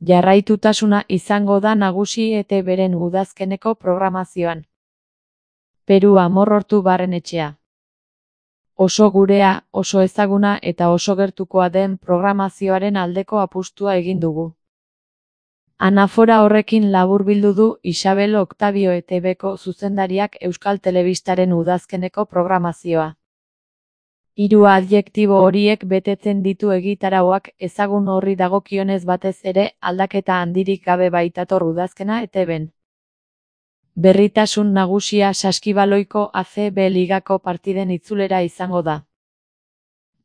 Jarraitutasuna izango da nagusi ETBren udazkeneko programazioan. Peru Amorortu Barrenetxea. Oso gurea, oso ezaguna eta oso gertukoa den programazioaren aldeko apustua egin dugu. Anafora horrekin laburbildu du Isabel Octavio ETBko zuzendariak Euskal Telebistaren udazkeneko programazioa. 3 adjektibo horiek betetzen ditu egitarauak, ezagun horri dagokionez batez ere aldaketa handirik gabe baitator udazkena ETBn. Berritasun nagusia Saskibaloiko ACB ligako partiden itzulera izango da.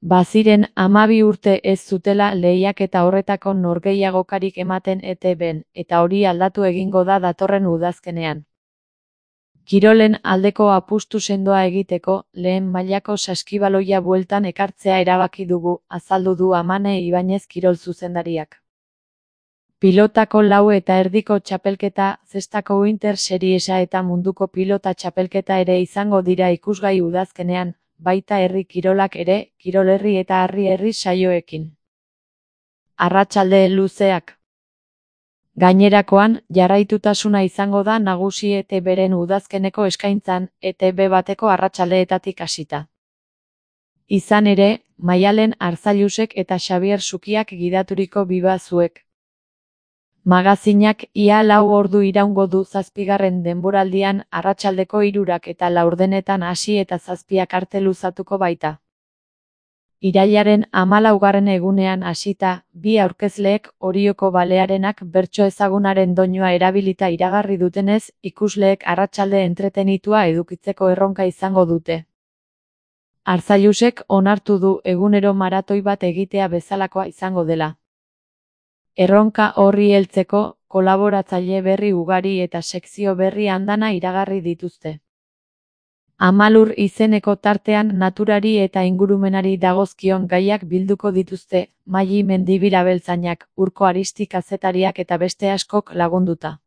Baziren 12 urte ez zutela lehiaketa horretako norgehiagokarik ematen ETBn, eta hori aldatu egingo da datorren udazkenean. Kirolen aldeko apustu sendoa egiteko, lehen mailako saskibaloia bueltan ekartzea erabaki dugu, azaldu du Amane Ibañez kirol zuzendariak. Pilotako 4 eta erdiko txapelketa, zestako Winter Seriesa eta munduko pilota txapelketa ere izango dira ikusgai udazkenean, baita herri kirolak ere, kirol herri eta harri herri saioekin. Arratsalde luzeak. Gainerakoan, jarraitutasuna izango da nagusi ETBren udazkeneko eskaintzan, ETB bateko arratsaldeetatik hasita. Izan ere, Maialen Arzailusek eta Xabier Sukiak gidaturiko bibazuek. Magazinak ia 4 ordu iraungo du 7. denboraldian arratsaldeko 3 eta 4 hasi eta 7 arte luzatuko baita. Irailaren 14. egunean hasita, 2 aurkezleek Orioko Balearenak bertso ezagunaren doinua erabilita iragarri dutenez, ikusleek arratsalde entretenitua edukitzeko erronka izango dute. Arzailusek onartu du egunero maratoi bat egitea bezalakoa izango dela. Erronka horri heltzeko, kolaboratzaile berri ugari eta sekzio berri andana iragarri dituzte. Amalur izeneko tartean naturari eta ingurumenari dagozkion gaiak bilduko dituzte, Maili Mendibil-abeltzainak, Urko Aristi kazetariak eta beste askok lagunduta.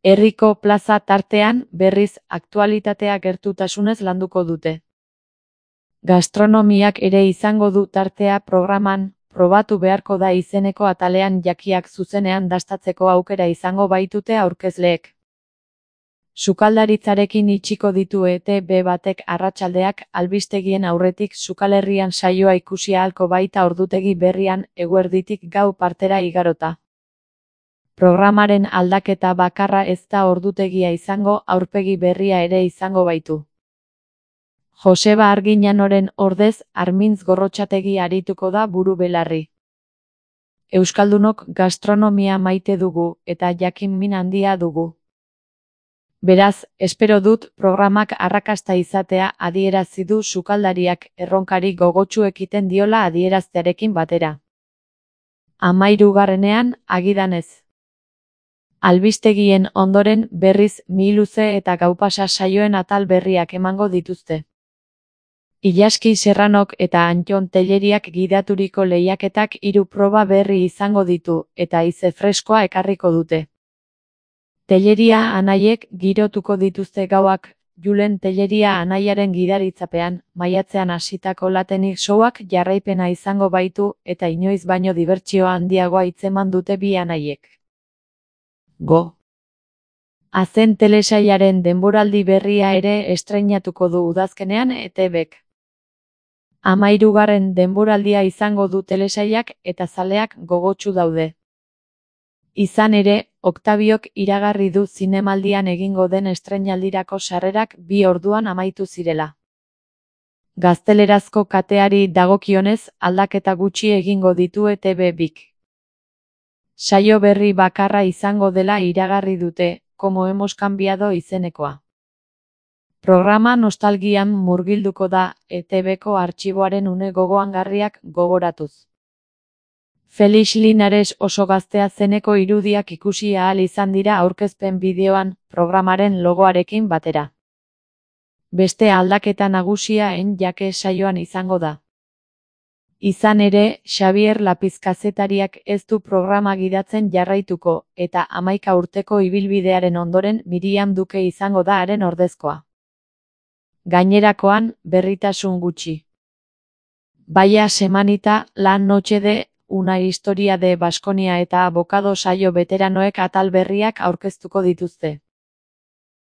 Herriko plaza tartean, berriz, aktualitatea gertutasunez landuko dute. Gastronomiak ere izango du tartea programan, probatu beharko da izeneko atalean jakiak zuzenean dastatzeko aukera izango baitute aurkezleek. Sukaldaritzarekin itxiko ditu ETB batek arratsaldeak albistegien aurretik Sukalherrian saioa ikusi ahalko baita ordutegi berrian eguerditik gau partera igarota. Programaren aldaketa bakarra ez da ordutegia izango, aurpegi berria ere izango baitu. Joseba Arginanoren ordez, Armintz Gorrotxategi arituko da buru belarri. Euskaldunok gastronomia maite dugu, eta jakin min handia dugu. Beraz, espero dut programak arrakasta izatea adierazi du sukaldariak erronkari gogotsu ekiten diola adieraztearekin batera. 13. agidanez. Albistegien ondoren berriz miluze eta gaupasa saioen atal berriak emango dituzte. Ilaski Serranok eta Antton Telleriak gidaturiko lehiaketak 3 proba berri izango ditu, eta haize freskoa ekarriko dute. Telleria anaiek girotuko dituzte gauak, Julen Telleria anaiaren gidaritzapean, maiatzean hasitako Latenik showak jarraipena izango baitu, eta inoiz baino dibertsio handiagoa hitzeman dute bi anaiek. Go! Azen telesailaren denboraldi berria ere estreinatuko du udazkenean ETBk. 13. denboraldia izango du telesailak eta zaleak gogotsu daude. Izan ere, Octaviok iragarri du zinemaldian egingo den estreinaldirako sarrerak 2 orduan amaitu zirela. Gaztelerazko kateari dagokionez, aldaketa gutxi egingo ditu ETB bik. Saio berri bakarra izango dela iragarri dute, Como hemos cambiado izenekoa. Programa nostalgian murgilduko da, ETBko artxiboaren une gogoangarriak gogoratuz. Felix Linares oso gaztea zeneko irudiak ikusi ahal izan dira aurkezpen bideoan, programaren logoarekin batera. Beste aldaketa nagusia jake saioan izango da. Izan ere, Xabier Lapiz kazetariak ez du programa gidatzen jarraituko, eta 11 urteko ibilbidearen ondoren Miriam Duke izango da haren ordezkoa. Gainerakoan, berritasun gutxi. Vaya semanita, la noche de Una historia de Baskonia eta abokado saio beteranoek atal berriak aurkeztuko dituzte.